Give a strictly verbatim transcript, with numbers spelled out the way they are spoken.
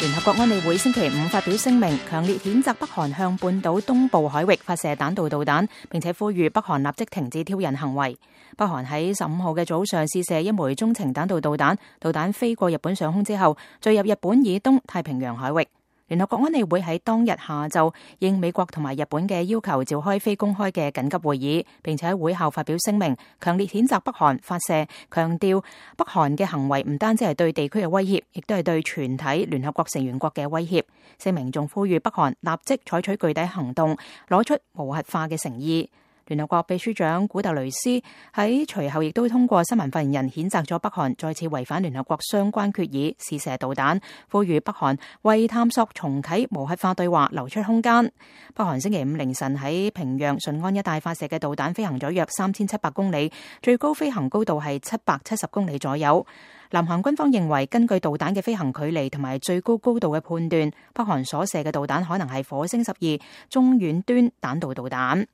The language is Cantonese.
聯合國安理會星期五發表聲明，強烈譴責北韓向半島東部海域發射彈道導彈，並且呼籲北韓立即停止挑釁行為。北韓喺十五號嘅早上試射一枚中程彈道導彈，導彈飛過日本上空之後，墜入日本以東太平洋海域。聯合國安理會喺當日下晝應美國同埋日本嘅要求召開非公開嘅緊急會議，並且喺會後發表聲明，強烈譴責北韓發射，強調北韓嘅行為唔單止係對地區嘅威脅，亦都係對全體聯合國成員國嘅威脅。聲明仲呼籲北韓立即採取具體行動，攞出無核化嘅誠意。聯合國秘書長古特雷斯喺隨後亦都通過新聞發言人譴責咗北韓再次違反聯合國相關決議，試射導彈，呼籲北韓為探索重啟無核化對話留出空間。北韓星期五凌晨喺平壤順安一帶發射嘅導彈飛行咗約三千七百公里，最高飛行高度係七百七十公里左右。南韓軍方認為，根據導彈嘅飛行距離同埋最高高度嘅判斷，北韓所射嘅導彈可能係火星十二中遠端彈道導彈。